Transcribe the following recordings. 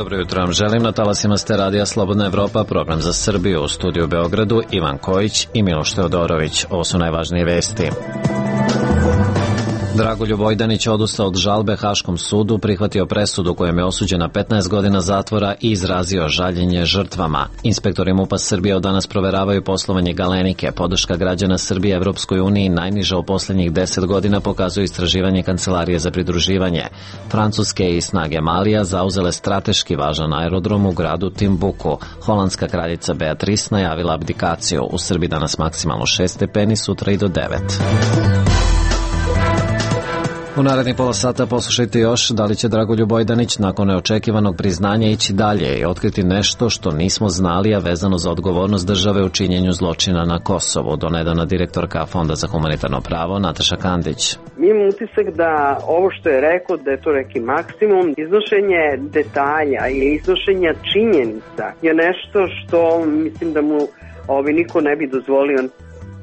Dobro jutro vam želim, na talasima ste Radija Slobodna Evropa, program za Srbiju, u studiju u Beogradu Ivan Kojić i Miloš Teodorović. Ovo su najvažnije vesti. Dragoljub Vojdanić odustao od žalbe Haškom sudu, prihvatio presudu kojom je osuđen na 15 godina zatvora i izrazio žaljenje žrtvama. Inspektori MUP-a Srbije od danas proveravaju poslovanje Galenike. Podrška građana Srbije Evropskoj uniji najniža u posljednjih 10 godina, pokazuje istraživanje Kancelarije za pridruživanje. Francuske i snage Malija zauzele strateški važan aerodrom u gradu Timbuku. Holandska kraljica Beatrice najavila abdikaciju. U Srbiji danas maksimalno 6 stepeni, sutra i do 9. U narednih pola sata poslušajte još da li će Dragoljub Vojdanić nakon neočekivanog priznanja ići dalje i otkriti nešto što nismo znali, a vezano za odgovornost države u činjenju zločina na Kosovu. Donedavna direktorka Fonda za humanitarno pravo Nataša Kandić. Mi imamo utisak da ovo što je rekao, da je to neki maksimum. Iznošenje detalja i iznošenja činjenica je nešto što mislim da mu niko ne bi dozvolio.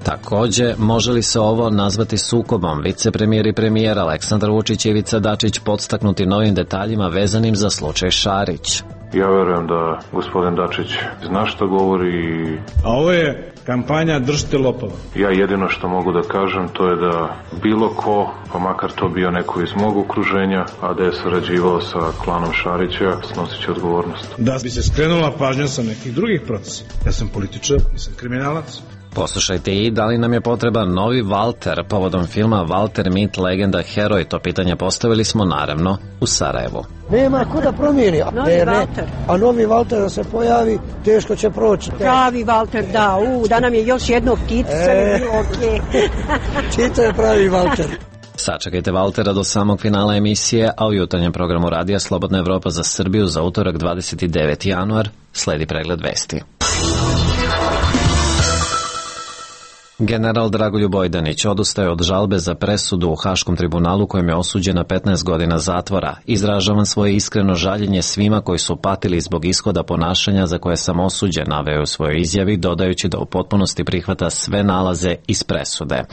Takođe, može li se ovo nazvati sukobom? Vicepremijer i premijer Aleksandar Vučić i Ivica Dačić podstaknuti novim detaljima vezanim za slučaj Šarić. Ja verujem da gospodin Dačić zna što govori. A ovo je kampanja držite lopova. Ja jedino što mogu da kažem to je da bilo ko, pa makar to bio neko iz mog okruženja, a da je sarađivao sa klanom Šarića, snosit će odgovornost. Da bi se skrenula pažnja sa nekih drugih procesa. Ja sam političar, nisam kriminalac. Poslušajte i da li nam je potreban novi Valter povodom filma Valter mit legenda heroj. To pitanje postavili smo naravno u Sarajevu. Nema ko da promijeni. A novi Valter da se pojavi, teško će proći. Pravi Valter, da nam je još jedno ptice, sve bilo okej. Čito je pravi Valter. Sačekajte Valtera do samog finala emisije, a u jutarnjem programu Radija Slobodna Evropa za Srbiju za utorak 29. januar sledi pregled vesti. General Dragoljub Vojdanić odustaje od žalbe za presudu u Haškom tribunalu kojem je osuđen na 15 godina zatvora. Izražavam svoje iskreno žaljenje svima koji su patili zbog ishoda ponašanja za koje sam osuđen, naveo u svojoj izjavi, dodajući da u potpunosti prihvata sve nalaze iz presude.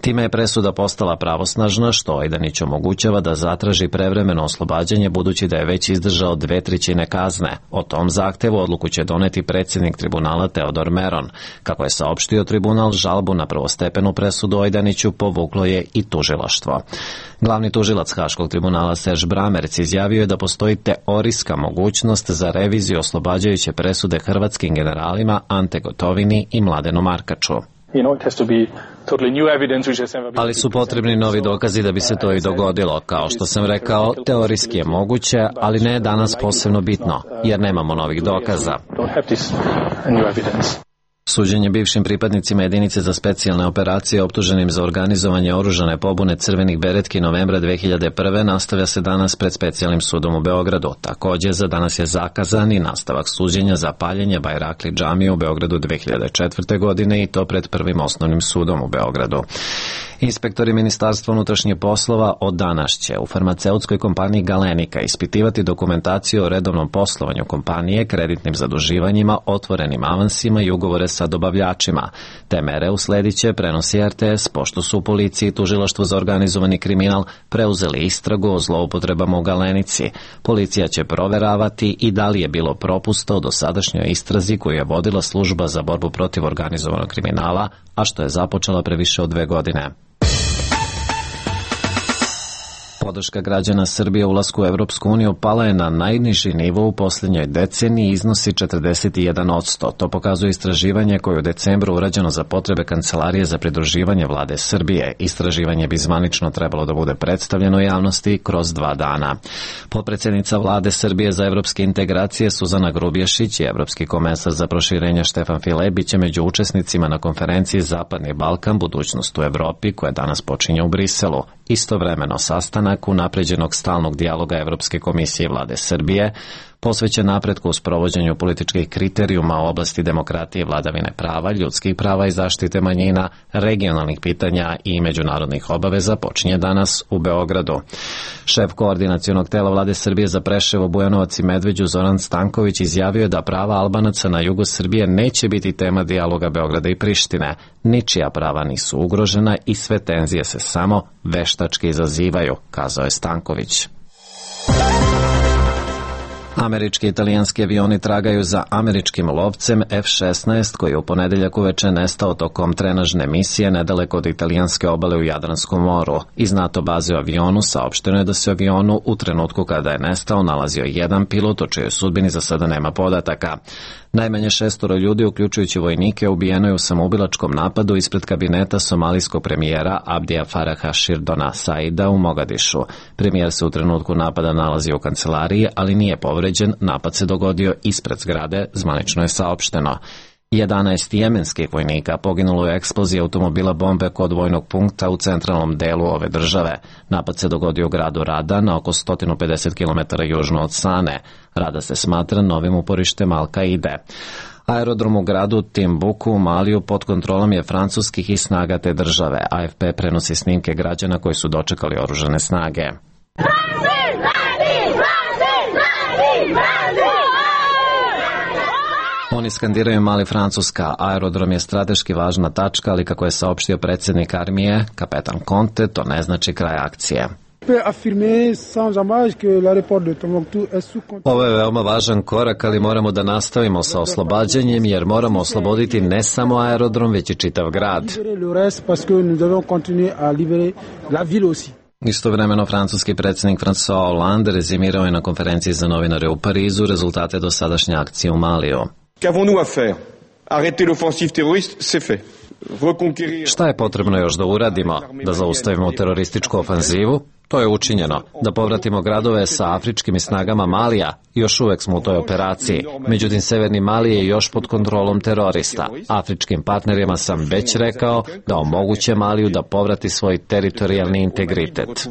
Time je presuda postala pravosnažna, što Vojdanić omogućava da zatraži prevremeno oslobađanje, budući da je već izdržao 2/3 kazne. O tom zahtevu odluku će doneti predsjednik tribunala Teodor Meron. Kako je saopštio tribunal, žalbu na prvostepenu presudu Vojdaniću povuklo je i tužilaštvo. Glavni tužilac Haškog tribunala Serž Bramerc izjavio je da postoji teorijska mogućnost za reviziju oslobađajuće presude hrvatskim generalima Ante Gotovini i Mladenu Markaču. Ali su potrebni novi dokazi da bi se to i dogodilo. Kao što sam rekao, teorijski je moguće, ali ne danas posebno bitno, jer nemamo novih dokaza. Suđenje bivšim pripadnicima jedinice za specijalne operacije optuženim za organizovanje oružane pobune crvenih beretki novembra 2001. nastavlja se danas pred specijalnim sudom u Beogradu. Također za danas je zakazan i nastavak suđenja za paljenje Bajrakli džamije u Beogradu 2004. godine i to pred Prvim osnovnim sudom u Beogradu. Inspektori Ministarstva unutrašnjih poslova od danas će u farmaceutskoj kompaniji Galenika ispitivati dokumentaciju o redovnom poslovanju kompanije, kreditnim zaduživanjima, otvorenim avansima i ugovore sa dobavljačima. Te mere usledit će, prenosi RTS, pošto su u policiji i tužilaštvu za organizovani kriminal preuzeli istragu o zloupotrebama u Galenici. Policija će proveravati i da li je bilo propusta u dosadašnjoj istrazi koju je vodila služba za borbu protiv organizovanog kriminala, a što je započela pre više od 2 godine. Podrška građana Srbije u ulasku u Evropsku uniju pala je na najniži nivo u posljednjoj deceniji i iznosi 41%. To pokazuje istraživanje koje je u decembru urađeno za potrebe Kancelarije za pridruživanje vlade Srbije. Istraživanje bi zvanično trebalo da bude predstavljeno javnosti kroz 2 dana. Potpredsjednica vlade Srbije za evropske integracije Suzana Grubješić i evropski komesar za proširenje Štefan File biće među učesnicima na konferenciji Zapadni Balkan, budućnost u Evropi, koja danas počinje u Briselu. Istovremeno sastanak unapređenog stalnog dijaloga Evropske komisije i vlade Srbije posvećen napretku u sprovođenju političkih kriterijuma u oblasti demokratije, vladavine prava, ljudskih prava i zaštite manjina, regionalnih pitanja i međunarodnih obaveza počinje danas u Beogradu. Šef koordinacionog tela vlade Srbije za Preševo, Bujanovac i Medveđu Zoran Stanković izjavio je da prava Albanaca na jugu Srbije neće biti tema dijaloga Beograda i Prištine. Ničija prava nisu ugrožena i sve tenzije se samo veštački izazivaju, kazao je Stanković. Američki i italijanski avioni tragaju za američkim lovcem F-16 koji je u ponedeljak uveče nestao tokom trenažne misije nedaleko od italijanske obale u Jadranskom moru. Iz NATO baze u avionu saopšteno je da se u avionu u trenutku kada je nestao nalazio jedan pilot, o čijoj sudbini za sada nema podataka. Najmanje 6 ljudi, uključujući vojnike, ubijeno je u samoubilačkom napadu ispred kabineta somalijskog premijera Abdija Faraha Širdona Saida u Mogadišu. Premijer se u trenutku napada nalazi u kancelariji, ali nije povređen. Napad se dogodio ispred zgrade, zvanično je saopšteno. 11 jemenskih vojnika poginulo je u eksploziji automobila bombe kod vojnog punkta u centralnom delu ove države. Napad se dogodio u gradu Rada na oko 150 km južno od Sane. Rada se smatra novim uporištem Al-Kaide. Aerodrom u gradu Timbuku u Maliju pod kontrolom je francuskih i snaga te države. AFP prenosi snimke građana koji su dočekali oružane snage. Oni skandiraju Mali Francuska. Aerodrom je strateški važna tačka, ali kako je saopštio predsjednik armije, kapetan Conte, to ne znači kraj akcije. Ovo je veoma važan korak, ali moramo da nastavimo sa oslobađanjem, jer moramo osloboditi ne samo aerodrom, već i čitav grad. Istovremeno, francuski predsjednik François Hollande rezimirao je na konferenciji za novinare u Parizu rezultate dosadašnje akcije u Maliju. Qu'avons-nous à faire? Arrêter l'offensive terroriste, c'est fait. Šta je potrebno još da uradimo? Da zaustavimo terorističku ofanzivu? To je učinjeno. Da povratimo gradove sa afričkim snagama Malija? Još uvek smo u toj operaciji. Međutim, severni Mali je još pod kontrolom terorista. Afričkim partnerima sam već rekao da omoguće Maliju da povrati svoj teritorijalni integritet.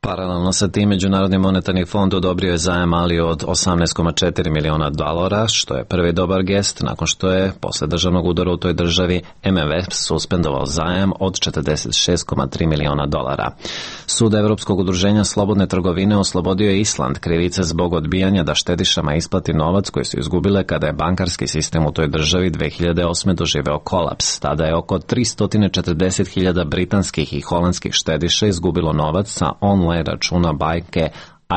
Paralelno sa tim, Međunarodni monetarni fond odobrio je zajam Maliju od $18,4 miliona, što je prvi dobar gest nakon što je, posle državnog udara u toj državi, MMF suspendovao zajam od $46,3 miliona. Sud Evropskog udruženja slobodne trgovine oslobodio je Island krivice zbog odbijanja da štedišama isplati novac koji su izgubile kada je bankarski sistem u toj državi 2008. doživeo kolaps. Tada je oko 340.000 britanskih i holandskih štediša izgubilo novac sa online računa banke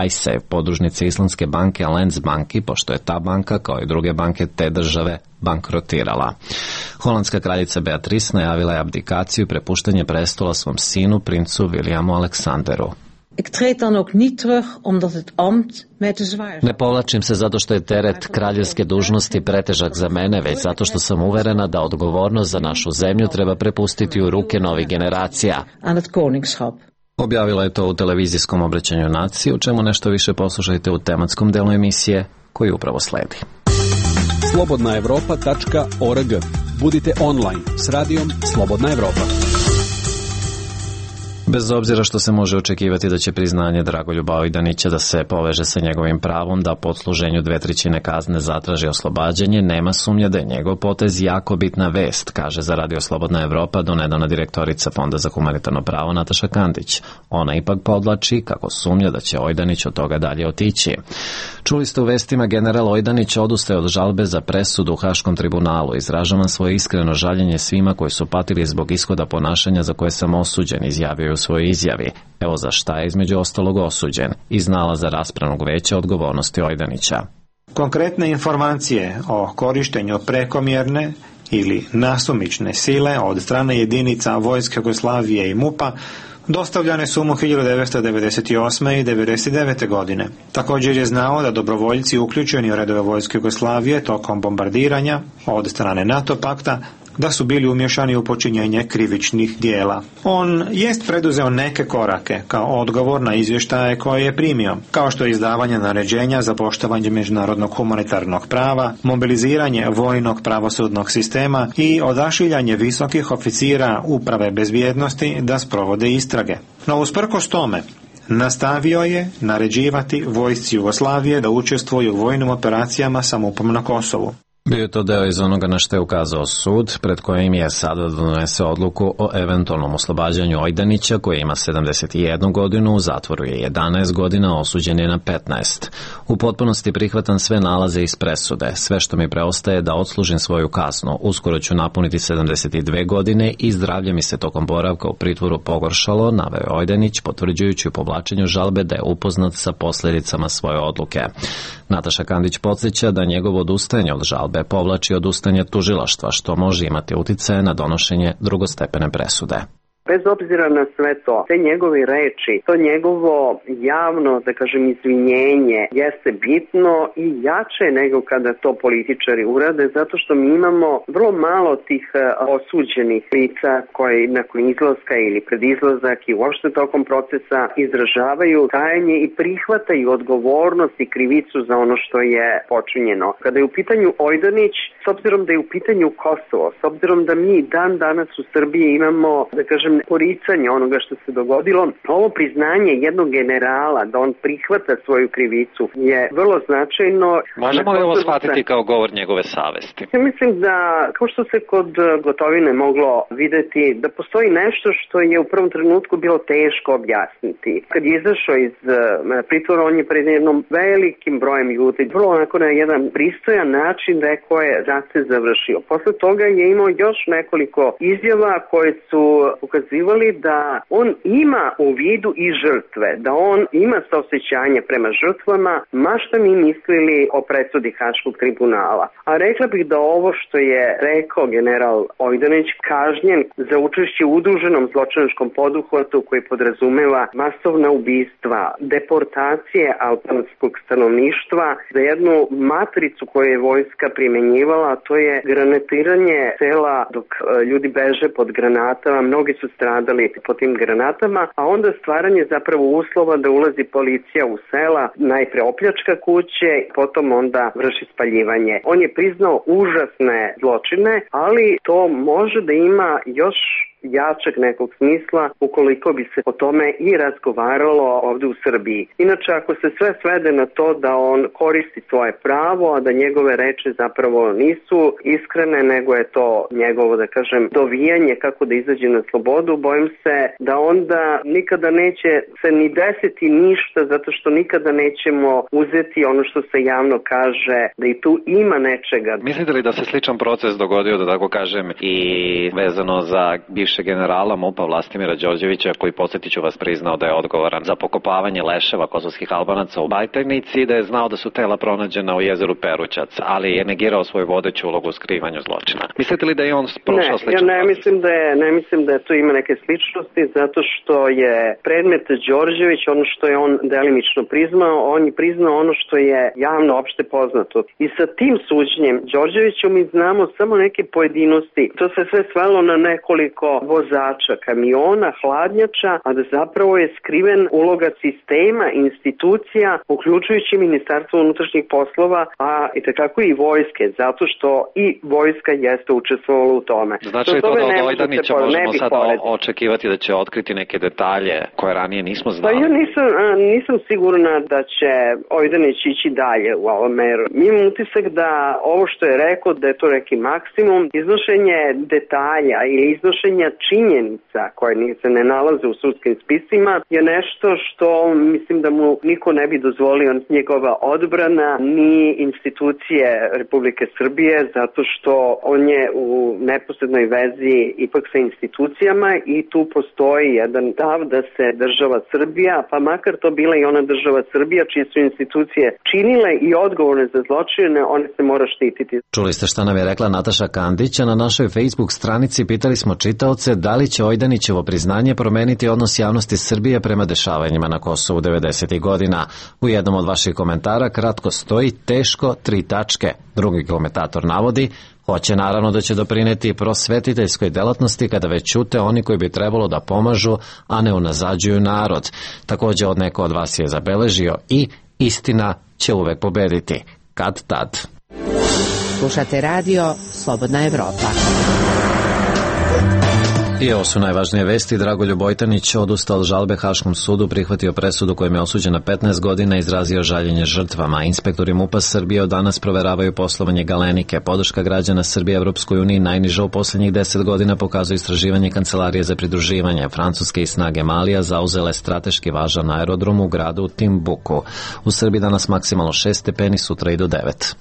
iSafe, podružnice islandske banke Landsbanki, pošto je ta banka, kao i druge banke te države, bankrotirala. Holandska kraljica Beatrice najavila je abdikaciju i prepuštanje prestola svom sinu, princu Williamu Aleksanderu. Ne povlačim se zato što je teret kraljevske dužnosti pretežak za mene, već zato što sam uverena da odgovornost za našu zemlju treba prepustiti u ruke novih generacija. Objavila je to u televizijskom obraćanju naciji, o čemu nešto više poslušajte u tematskom delu emisije koji upravo sledi. slobodnaevropa.org. Budite online s radijom Slobodna Evropa. Bez obzira što se može očekivati da će priznanje Dragoljuba Ojdanića da se poveže sa njegovim pravom da po odsluženju 2/3 kazne zatraži oslobađanje, nema sumnje da je njegov potez jako bitna vest, kaže za Radio Slobodna Evropa donedavna direktorica Fonda za humanitarno pravo Nataša Kandić. Ona ipak podvlači kako sumnja da će Ojdanić od toga dalje otići. Čuli ste u vestima, general Ojdanić odustaje od žalbe za presudu u Haškom tribunalu. Izražavam svoje iskreno žaljenje svima koji su patili zbog ishoda ponašanja za koje sam osuđen, izjavio je u svojoj izjavi. Evo za šta je između ostalog osuđen. Iz nalaza raspravnog veća odgovornosti Ojdanića. Konkretne informacije o korištenju prekomjerne ili nasumične sile od strane jedinica Vojske Jugoslavije i MUP-a dostavljane su mu 1998. i 1999. godine. Također je znao da dobrovoljci uključeni u redove Vojske Jugoslavije tokom bombardiranja od strane NATO pakta da su bili umješani u počinjenje krivičnih dijela. On jest preduzeo neke korake kao odgovor na izvještaje koje je primio, kao što je izdavanje naređenja za poštovanje međunarodnog humanitarnog prava, mobiliziranje vojnog pravosudnog sistema i odašiljanje visokih oficira uprave bezbjednosti da sprovode istrage. No usprkos tome, nastavio je naređivati vojsci Jugoslavije da učestvuju u vojnim operacijama sa MUP-om na Kosovu. Bio je to deo iz onoga na što je ukazao sud, pred kojim je sada da donese odluku o eventualnom oslobađanju Ojdanića, koji ima 71 godinu, u zatvoru je 11 godina, osuđen je na 15. U potpunosti prihvatam sve nalaze iz presude. Sve što mi preostaje da odslužim svoju kaznu. Uskoro ću napuniti 72 godine i zdravlje mi se tokom boravka u pritvoru pogoršalo, naveo je Ojdanić, potvrđujući u povlačenju žalbe da je upoznat sa posljedicama svoje odluke. Nataša Kandić podsjeća da njegovo odustajanje od žalbe povlači odustajanje tužilaštva, što može imati uticaje na donošenje drugostepene presude. Bez obzira na sve to, te njegove reči, to njegovo javno, da kažem, izvinjenje jeste bitno i jače nego kada to političari urade, zato što mi imamo vrlo malo tih osuđenih lica koji nakon izlaska ili pred izlazak i uopšte tokom procesa izražavaju kajanje i prihvataju odgovornost i krivicu za ono što je počinjeno. Kada je u pitanju Ojdanić, s obzirom da je u pitanju Kosovo, s obzirom da mi dan danas u Srbiji imamo, da kažem, poricanje onoga što se dogodilo, ovo priznanje jednog generala da on prihvata svoju krivicu je vrlo značajno. Možemo li ovo shvatiti kao govor njegove savesti? Ja mislim da, kao što se kod Gotovine moglo videti, da postoji nešto što je u prvom trenutku bilo teško objasniti. Kad je izašao iz pritvora, on je pred jednom velikim brojem ljudi, vrlo onako na jedan pristojan način rekao je rat se završio. Posle toga je imao još nekoliko izjava koje su ukazivali da on ima u vidu i žrtve, da on ima saosećanje prema žrtvama, ma šta mi mislili o presudi Haškog tribunala. A rekla bih da ovo što je rekao general Ojdanić, kažnjen za učešće u udruženom zločinačkom poduhvatu koji podrazumeva masovna ubistva, deportacije albanskog stanovništva, za jednu matricu koju je vojska primenjivala, to je granatiranje sela dok ljudi beže pod granatama, mnogi su stradali po tim granatama, a onda stvaranje zapravo uslova da ulazi policija u sela, najpre opljačka kuće, potom onda vrši spaljivanje. On je priznao užasne zločine, ali to može da ima još jačeg nekog smisla ukoliko bi se o tome i razgovaralo ovde u Srbiji. Inače, ako se sve svede na to da on koristi svoje pravo, a da njegove reči zapravo nisu iskrene, nego je to njegovo, da kažem, dovijanje kako da izađe na slobodu, bojim se da onda nikada neće se ni desiti ništa, zato što nikada nećemo uzeti ono što se javno kaže, da i tu ima nečega. Mislite li da se sličan proces dogodio, da tako kažem, i vezano za bivšeg generala MUP-a Vlastimira Đorđevića, koji, podsjetit ću vas, priznao da je odgovoran za pokopavanje leševa kosovskih Albanaca u Bajtajnici i da je znao da su tela pronađena u jezeru Perućac, ali je negirao svoju vodeću ulogu u skrivanju zločina. Mislite li da je on prošao sličan proces? Ne mislim da tu ima neke sličnosti, zato što je predmet Đorđević, ono što je on delimično priznao, on je priznao ono što je javno opšte poznato. I sa tim suđenjem Đorđevićom mi znamo samo neke pojedinosti. To se sve svelo na nekoliko vozača kamiona, hladnjača, a da zapravo je skriven uloga sistema, institucija, uključujući Ministarstvo unutrašnjih poslova, a itekako i vojske, zato što i vojska jeste učestvovala u tome. Znači to da od Ojdanića možemo sada očekivati da će otkriti neke detalje koje ranije nismo znali? Pa ja nisam sigurna da će Ojdanić ići dalje u ovom meru. Imam utisak da ovo što je rekao, da je to neki maksimum, iznošenje detalja ili iznošenja činjenica koje se ne nalaze u sudskim spisima je nešto što mislim da mu niko ne bi dozvolio, njegova odbrana ni institucije Republike Srbije, zato što on je u neposrednoj vezi ipak sa institucijama i tu postoji jedan stav da se država Srbija, pa makar to bila i ona država Srbija čije su institucije činile i odgovorne za zločine, one se mora štititi. Čuli ste šta nam je rekla Nataša Kandić, a na našoj Facebook stranici pitali smo čitaoce da li će Ojdanićevo priznanje promeniti odnos javnosti Srbije prema dešavanjima na Kosovu 90. godina. U jednom od vaših komentara kratko stoji teško 3 tačke. Drugi komentator navodi: hoće naravno da će doprineti prosvetiteljskoj delatnosti kada već ćute oni koji bi trebalo da pomažu, a ne unazađuju narod. Takođe od neko od vas je zabeležio i istina će uvek pobediti. Kad tad. Slušate radio Slobodna Evropa. I ovo su najvažnije vesti. Dragoljub Bojtanić odustao od žalbe Haškom sudu, prihvatio presudu kojom je osuđen na 15 godina i izrazio žaljenje žrtvama. Inspektori MUP-a Srbije od danas proveravaju poslovanje Galenike. Podrška građana Srbije Evropskoj uniji najniža u poslednjih 10 godina, pokazuje istraživanje Kancelarije za pridruživanje. Francuske i snage Malija zauzele strateški važan aerodrom u gradu Timbuku. U Srbiji danas maksimalno 6 stepeni, sutra i do 9.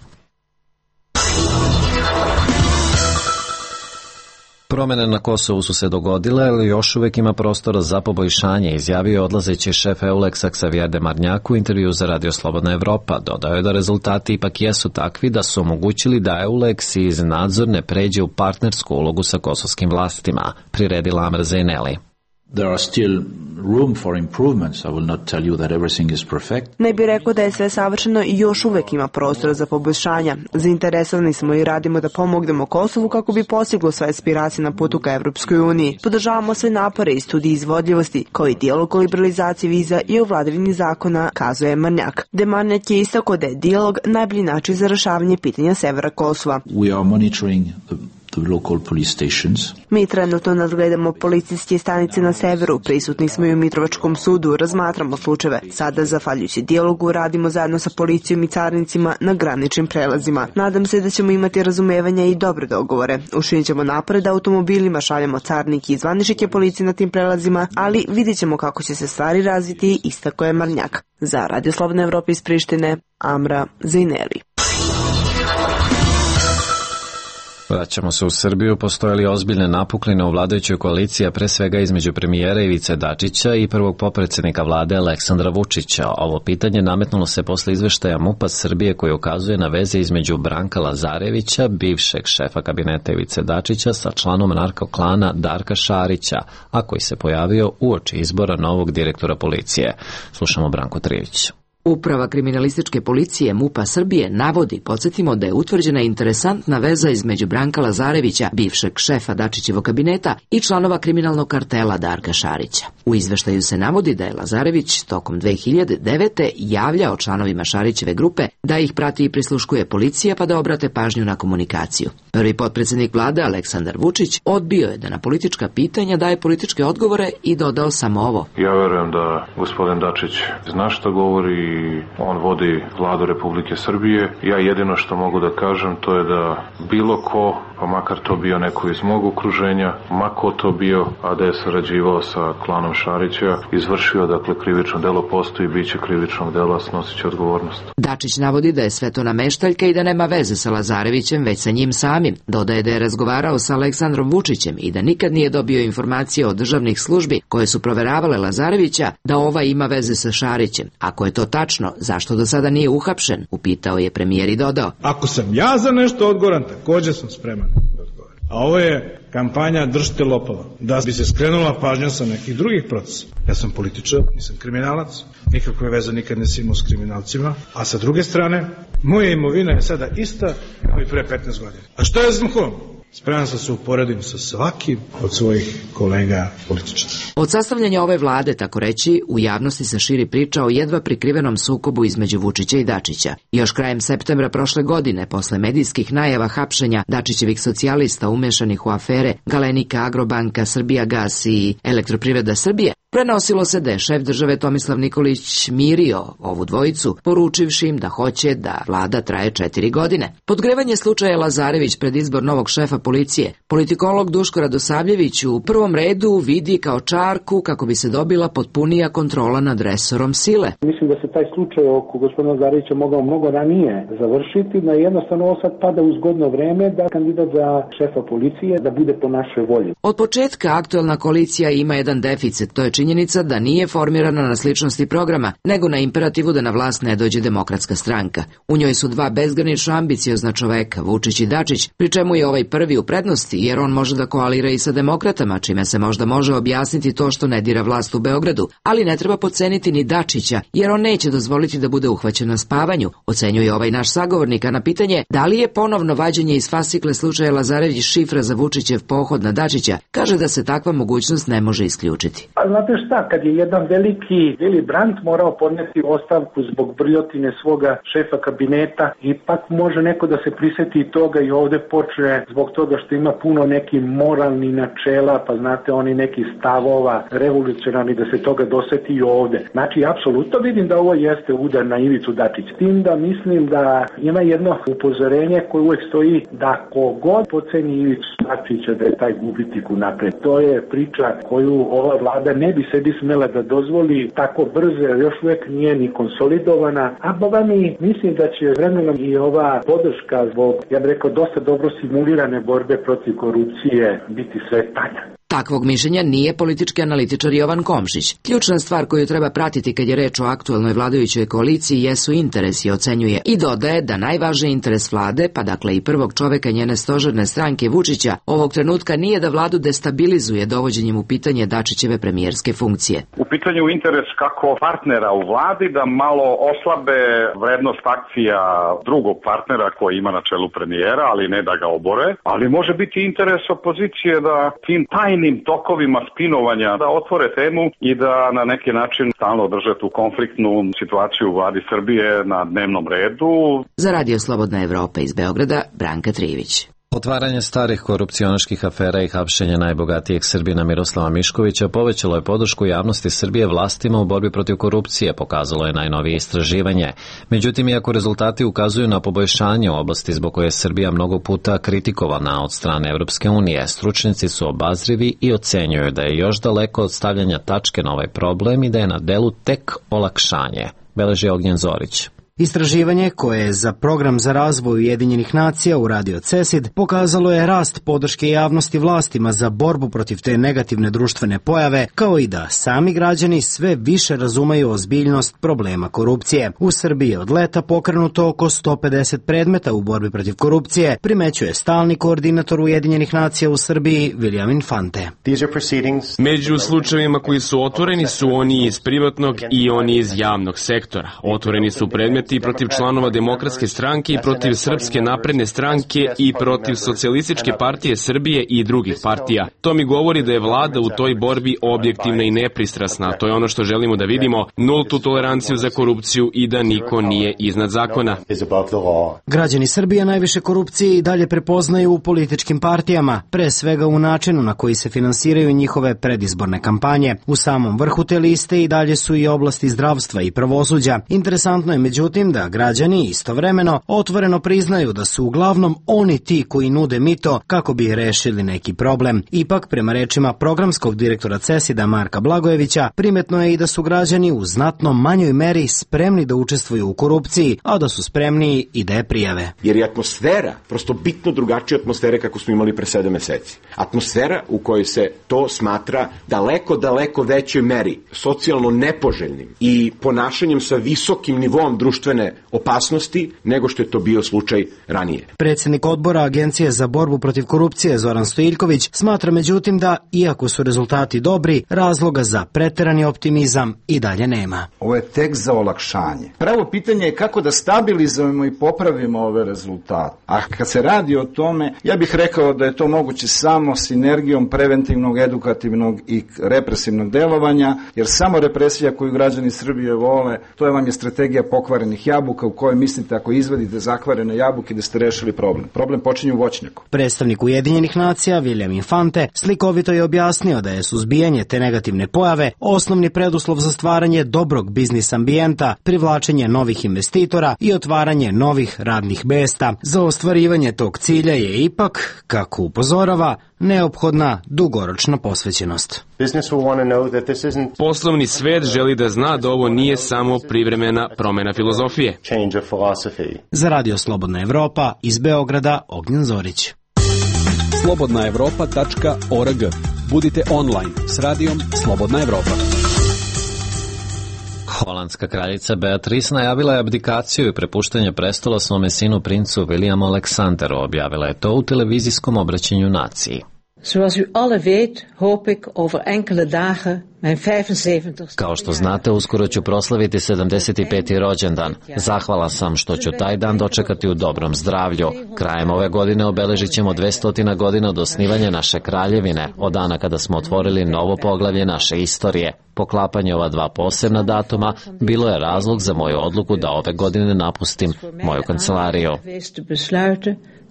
Promene na Kosovu su se dogodile, ali još uvek ima prostora za poboljšanje, izjavio je odlazeći šef EULEX-a Xavier Demarnjak u intervju za Radio Slobodna Evropa. Dodao je da rezultati ipak jesu takvi da su omogućili da EULEX iz nadzorne pređe u partnersku ulogu sa kosovskim vlastima, priredila Amr Zaineli. There are still room for improvements. I will not tell you that everything is perfect. Ne bih rekao da je sve savršeno i još uvek ima prostora za poboljšanja. Zainteresovani smo i radimo da pomognemo Kosovu kako bi postiglo svoje aspiracije na putu ka Evropskoj uniji. Podržavamo sve napore i studije izvodljivosti, kao i dijalog o liberalizaciji viza i o vladavini zakona, kazuje Marnjak. Demarnjak je istakao da je dijalog najbolji način za rešavanje pitanja severa Kosova. We are monitoring the local police stations. Mi trenutno nadgledamo policijske stanice na severu, prisutni smo i u Mitrovačkom sudu, razmatramo slučajeve. Sada, zahvaljujući dijalogu, radimo zajedno sa policijom i carinicima na graničnim prelazima. Nadam se da ćemo imati razumevanja i dobre dogovore. Učinit ćemo napred da automobilima šaljemo carinike i zvaničnike policije na tim prelazima, ali vidjet ćemo kako će se stvari razviti, istakao je Marnjak. Za Radio Slobodna Evropa iz Prištine, Amra Zaineli. Vraćamo se u Srbiju. Postoje li ozbiljne napukline u vladajućoj koaliciji, a pre svega između premijera Ivice Dačića i prvog potpredsednika vlade Aleksandra Vučića? Ovo pitanje nametnulo se posle izveštaja MUP-a Srbije koji ukazuje na veze između Branka Lazarevića, bivšeg šefa kabineta Ivice Dačića, sa članom narko-klana Darka Šarića, a koji se pojavio uoči izbora novog direktora policije. Slušamo Branko Trijević. Uprava kriminalističke policije MUP-a Srbije navodi, podsjetimo, da je utvrđena interesantna veza između Branka Lazarevića, bivšeg šefa Dačićevog kabineta, i članova kriminalnog kartela Darka Šarića. U izveštaju se navodi da je Lazarević tokom 2009. javljao članovima Šarićeve grupe da ih prati i prisluškuje policija pa da obrate pažnju na komunikaciju. Prvi potpredsednik vlade Aleksandar Vučić odbio je da na politička pitanja daje političke odgovore i dodao samo ovo. Ja verujem da gospodin Dačić zna šta govori i on vodi vladu Republike Srbije. Ja jedino što mogu da kažem to je da bilo ko, pa makar to bio neko iz mog okruženja, ma ko to bio, a da je sarađivao sa klanom Šarića, izvršio, dakle, krivično delo, postoji, bit će krivičnog dela, snosit će odgovornost. Dačić navodi da je sve to nameštaljka i da nema veze sa Lazarevićem, već sa njim samim. Dodaje da je razgovarao sa Aleksandrom Vučićem i da nikad nije dobio informacije od državnih službi koje su proveravale Lazarevića da ova ima veze sa Šarićem. Ako je to tačno, zašto do sada nije uhapšen? Upitao je premijer i dodao. Ako sam ja za nešto odgovoran, takođe sam spreman da odgovorim. A ovo je kampanja držite lopova, da bi se skrenula pažnja sa nekih drugih procesa. Ja sam političar, nisam kriminalac, nikakve veze nikad nisam imao s kriminalcima, a sa druge strane, moja imovina je sada ista kao i pre 15 godina. A što ja znam kom? Spreman sam se uporedim sa svakim od svojih kolega političara. Od sastavljanja ove vlade, tako reći, u javnosti se širi priča o jedva prikrivenom sukobu između Vučića i Dačića. Još krajem septembra prošle godine, posle medijskih najava hapšenja Dačićevih socijalista umešanih u afere Galenika, Agrobanka, Srbijagas i Elektroprivreda Srbije, prenosilo se da je šef države Tomislav Nikolić mirio ovu dvojicu, poručivši im da hoće da vlada traje 4 godine. Podgrevanje slučaja Lazarević pred izbor novog šefa policije, politikolog Duško Radosavljević u prvom redu vidi kao čarku kako bi se dobila potpunija kontrola nad resorom sile. Mislim da se taj slučaj oko gospodina Lazarevića mogao mnogo ranije završiti, da jednostavno ovo sad pada u zgodno vreme da kandidat za šefa policije da bude po našoj volji. Od početka aktuelna koalicija ima jedan deficit, to je činjenica da nije formirana na sličnosti programa, nego na imperativu da na vlast ne dođe Demokratska stranka. U njoj su dva bezgranično ambiciozna čoveka, Vučić i Dačić, pri čemu je ovaj prvi u prednosti, jer on može da koalira i sa demokratama, čime se možda može objasniti to što ne dira vlast u Beogradu, ali ne treba podceniti ni Dačića, jer on neće dozvoliti da bude uhvaćen na spavanju, ocenjuje ovaj naš sagovornik, a na pitanje da li je ponovno vađenje iz fascikle slučaja Lazarević šifra za Vučićev pohod na Dačića, kaže da se takva mogućnost ne može isključiti. Znate, znate šta, kad je jedan veliki Willy Brandt morao podneti ostavku zbog brljotine svoga šefa kabineta, ipak može neko da se priseti toga i ovde počne zbog toga što ima puno nekih moralnih načela, pa znate oni neki stavova revolucionarni da se toga doseti i ovde. Znači, apsolutno vidim da ovo jeste udar na Ivicu Dačića. Tim da mislim da ima jedno upozorenje koje uvek stoji da kogod poceni Ivicu Dačića da je taj gubitnik unapred. To je priča koju ova vlada ne bi sebi smela da dozvoli tako brzo, jer još uvek nije ni konsolidovana, a boga mi mislim da će vremenom i ova podrška zbog, ja bih rekao, dosta dobro simulirane borbe protiv korupcije biti sve tanja. Takvog mišljenja nije politički analitičar Jovan Komšić. Ključna stvar koju treba pratiti kad je reč o aktuelnoj vladajućoj koaliciji jesu interesi, ocenjuje, i dodaje da najvažniji interes vlade, pa dakle i prvog čoveka njene stožerne stranke Vučića, ovog trenutka nije da vladu destabilizuje dovođenjem u pitanje Dačićeve premijerske funkcije. U pitanju interes kako partnera u vladi da malo oslabe vrednost akcija drugog partnera koji ima na čelu premijera, ali ne da ga obore, ali može biti interes opozicije da tim tajnim tokovima spinovanja da otvore temu i da na neki način stalno drže tu konfliktnu situaciju u vladi Srbije na dnevnom redu. Za Radio Slobodna Evropa iz Beograda, Branka Trivić. Otvaranje starih korupcionaških afera i hapšenje najbogatijeg Srbina Miroslava Miškovića povećalo je podršku javnosti Srbije vlastima u borbi protiv korupcije, pokazalo je najnovije istraživanje. Međutim, iako rezultati ukazuju na poboljšanje u oblasti zbog koje je Srbija mnogo puta kritikovana od strane Evropske unije, stručnjaci su obazrivi i ocenjuju da je još daleko od stavljanja tačke na ovaj problem i da je na delu tek olakšanje, beleži Ognjen Zorić. Istraživanje koje je za Program za razvoj Ujedinjenih nacija uradio CESID pokazalo je rast podrške javnosti vlastima za borbu protiv te negativne društvene pojave, kao i da sami građani sve više razumeju ozbiljnost problema korupcije. U Srbiji je od leta pokrenuto oko 150 predmeta u borbi protiv korupcije, primećuje stalni koordinator Ujedinjenih nacija u Srbiji William Infante. Među slučajevima koji su otvoreni su oni iz privatnog i oni iz javnog sektora. Otvoreni su predmeti i protiv članova Demokratske stranke i protiv Srpske napredne stranke i protiv Socijalističke partije Srbije i drugih partija. To mi govori da je vlada u toj borbi objektivna i nepristrasna. To je ono što želimo da vidimo, nultu toleranciju za korupciju i da niko nije iznad zakona. Građani Srbije najviše korupcije i dalje prepoznaju u političkim partijama, pre svega u načinu na koji se finansiraju njihove predizborne kampanje. U samom vrhu te liste i dalje su i oblasti zdravstva i pravosuđa. Interesantno je međutim da građani istovremeno otvoreno priznaju da su uglavnom oni ti koji nude mito kako bi rešili neki problem. Ipak, prema rečima programskog direktora CESID-a Marka Blagojevića, primetno je i da su građani u znatno manjoj meri spremni da učestvuju u korupciji, a da su spremniji i da je prijave. Jer je atmosfera prosto bitno drugačija atmosfere kako smo imali pre 7 meseci. Atmosfera u kojoj se to smatra daleko većoj meri socijalno nepoželjnim i ponašanjem sa visokim nivom društvene opasnosti nego što je to bio slučaj ranije. Predsednik odbora Agencije za borbu protiv korupcije Zoran Stojiljković smatra međutim da, iako su rezultati dobri, razloga za preterani optimizam i dalje nema. Ovo je tek za olakšanje. Pravo pitanje je kako da stabilizujemo i popravimo ove rezultate. A kad se radi o tome, ja bih rekao da je to moguće samo sinergijom preventivnog, edukativnog i represivnog delovanja, jer samo represija koju građani Srbije vole, to je vam je strategija pokvarenih jabuka u kojoj mislite ako izvadite zakvarene jabuke da ste rešili problem. Problem počinje u voćnjaku. Predstavnik Ujedinjenih nacija William Infante slikovito je objasnio da je suzbijanje te negativne pojave osnovni preduslov za stvaranje dobrog biznis ambijenta, privlačenje novih investitora i otvaranje novih radnih mesta. Za ostvarivanje tog cilja je ipak, kako upozorava, neophodna dugoročna posvećenost. Poslovni svet želi da zna da ovo nije samo privremena promena filozofije. Za Radio Slobodna Evropa iz Beograda, Ognjen Zorić. slobodnaevropa.org. Budite online s radijom Slobodna Evropa. Holandska kraljica Beatrice najavila je abdikaciju i prepuštanje prestola svome sinu princu Williamu Aleksanderu, objavila je to u televizijskom obraćanju naciji. Zoals u alle weet, hoop ik over enkele dagen mijn 75. Kao što znate, uskoro ću proslaviti 75. rođendan. Zahvalan sam što ću taj dan dočekati u dobrom zdravlju. Krajem ove godine obeležit ćemo 200 godina od osnivanja naše kraljevine, od dana kada smo otvorili novo poglavlje naše istorije. Poklapanje ova dva posebna datuma bilo je razlog za moju odluku da ove godine napustim moju kancelariju.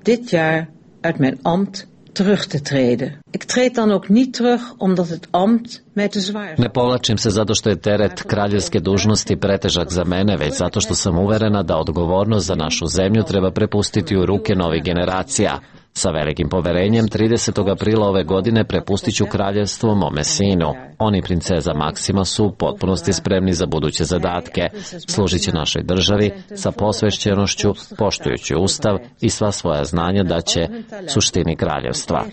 Dit jaar uit mijn ambt terug te treden. Ik treed dan ook niet terug omdat het ambt mij te zwaar is. Ne povlačim se zato što je teret kraljevske dužnosti pretežak za mene, već zato što sam uverena da odgovornost za našu zemlju treba prepustiti u ruke novih generacija. Sa velikim poverenjem 30. aprila ove godine prepustit ću kraljevstvo mome sinu. On i princeza Maksima su u potpunosti spremni za buduće zadatke. Služit će našoj državi sa posvećenošću, poštujući ustav i sva svoja znanja da će suštini kraljevstva.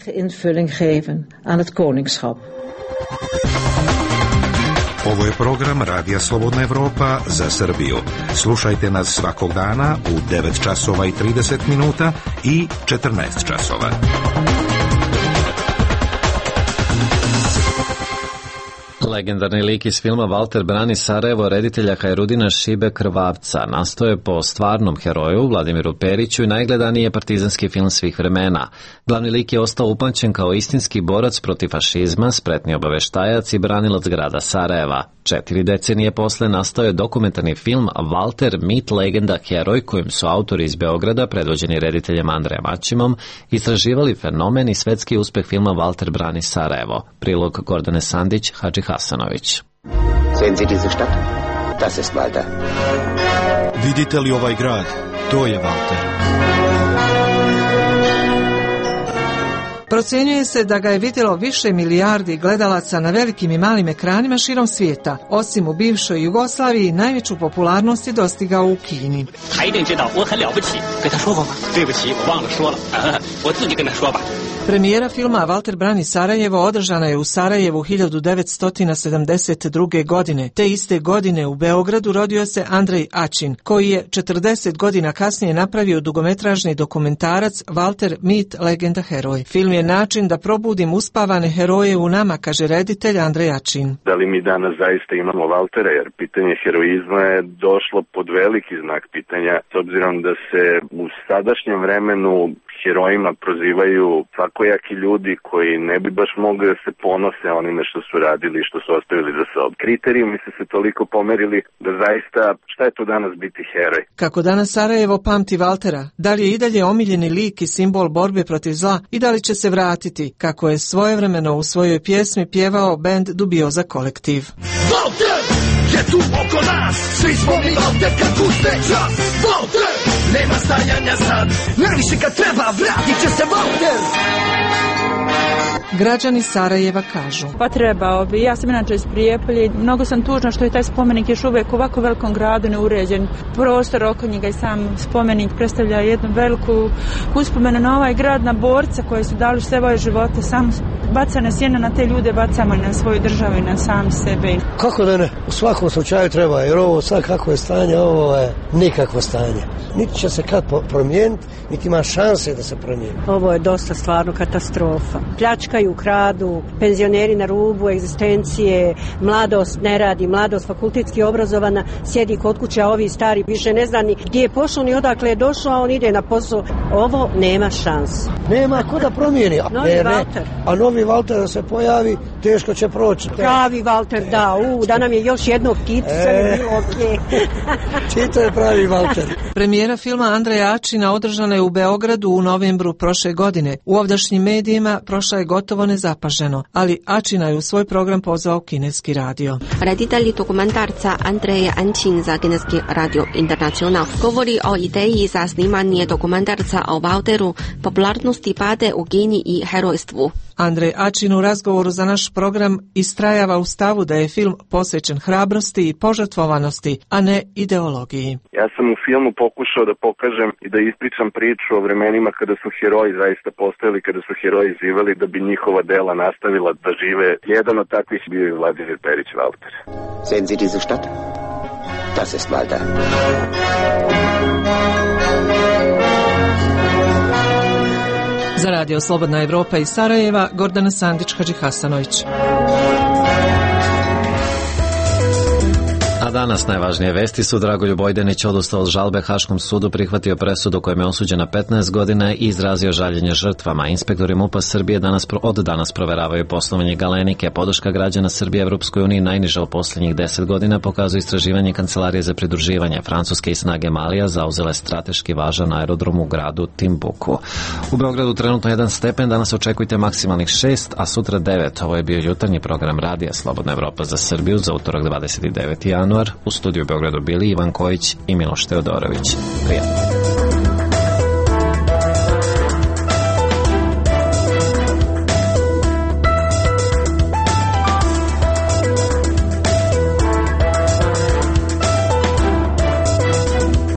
Ovo je program Radija Slobodna Evropa za Srbiju. Slušajte nas svakog dana u 9 časova i 30 minuta i 14 časova. Legendarni lik iz filma Valter brani Sarajevo reditelja Hajrudina Šibe Krvavca nastao je po stvarnom heroju Vladimiru Periću i najgledaniji je partizanski film svih vremena. Glavni lik je ostao upamćen kao istinski borac protiv fašizma, spretni obaveštajac i branilac grada Sarajeva. 4 decenije posle nastao je dokumentarni film Valter, mit, legenda, heroj, kojim su autori iz Beograda, predvođeni rediteljem Andrejem Ačimom, istraživali fenomen i svetski uspeh filma Valter brani Sarajevo. Prilog Gordane Sandić, Hadži Hasanović. Sehen Sie diese Stadt? Das ist Walter. Vidite li ovaj grad? To je Walter. Procenjuje se da ga je vidjelo više milijardi gledalaca na velikim i malim ekranima širom svijeta. Osim u bivšoj Jugoslaviji, najveću popularnost je dostigao u Kini. Premijera filma Valter brani Sarajevo održana je u Sarajevu 1972. godine. Te iste godine u Beogradu rodio se Andrej Ačin, koji je 40 godina kasnije napravio dugometražni dokumentarac Valter, mit, legenda, heroj. Film je način da probudim uspavane heroje u nama, kaže reditelj Andrej Ačin. Da li mi danas zaista imamo Valtera, jer pitanje heroizma je došlo pod veliki znak pitanja, s obzirom da se u sadašnjem vremenu herojima prozivaju svakojaki ljudi koji ne bi baš mogli da se ponose onime što su radili i što su ostavili za sobom. Kriterijumi su se toliko pomerili da zaista šta je to danas biti heroj? Kako danas Sarajevo pamti Valtera? Da li je i dalje omiljeni lik i simbol borbe protiv zla i da li će se vratiti, kako je svojevremeno u svojoj pjesmi pjevao bend Dubioza kolektiv? Valter je tu oko nas, svi smo mi ovdje kad uzme čas. Valter, nema stajanja sad, najviše kad treba vratit će se Valter. Građani Sarajeva kažu: Pa trebao bi, ja sam inače iz Prijepolja, mnogo sam tužna što je taj spomenik još uvijek u ovako velikom gradu neuređen. Prostor oko njega i sam spomenik predstavlja jednu veliku uspomenu na ovaj grad, na borca koji su dali svoje živote, sam bacane sjene na te ljude, bacamo na svoju državu i na sami sebe. Kako da ne? U svakom slučaju treba, jer ovo sad kako je stanje, ovo je nikakvo stanje. Niti će se kad promijeniti, niti ima šanse da se promijeni. Ovo je dosta stvarno katastrofa. Pljačkaju, kradu, penzioneri na rubu egzistencije, mladost ne radi, mladost fakultetski obrazovana, sjedi kod kuće, a ovi stari više ne zna ni gdje je pošao ni odakle je došao, a on ide na posao. Ovo nema šanse. Nema ko da promijeni. A novi Valter da se pojavi, teško će proći. Pravi Valter, da nam je još jednog pticu, sve ne bilo ovdje. Čito je pravi Valter. Premijera filma Andreja Ačina održana je u Beogradu u novembru prošle godine. U ovdašnjim medijima prošla je gotovo nezapaženo, ali Ačina je u svoj program pozvao kineski radio. Reditelj dokumentarca Andrej Ačin za kineski radio Internacional govori o ideji za snimanje dokumentarca o Valteru, popularnosti pade u Kini i herojstvu. Andrej Ačin u razgovoru za naš program istrajava u stavu da je film posvećen hrabrosti i požrtvovanosti, a ne ideologiji. Ja sam u filmu pokušao da pokažem i da ispričam priču o vremenima kada su heroji zaista postojali, kada su heroji živeli da bi njihova dela nastavila da žive. Jedan od takvih bio je Vladimir Perić Valter. Sehen Sie diese Stadt? Das ist Walter. Za Radio Slobodna Evropa iz Sarajeva, Gordana Sandić-Hadžihasanović. A danas najvažnije vesti su: Dragoljub Ojdenić odustao od žalbe Haškom sudu, prihvatio presudu kojom je osuđen na 15 godina i izrazio žaljenje žrtvama. Inspektori MUP-a Srbije od danas proveravaju poslovanje Galenike. Podrška građana Srbije Evropskoj uniji najniža u posljednjih 10 godina, pokazuje istraživanje Kancelarije za pridruživanje. Francuske i snage Malija zauzele strateški važan aerodrom u gradu Timbuku. U Beogradu trenutno 1 stepen, danas očekujte maksimalnih 6, a sutra 9. Ovo je bio jutarnji program Radija Slobodna Evropa za Srbiju za utorak 29. januar. U studiju u Beogradu bili Ivan Kojić i Miloš Teodorović. Prijatno.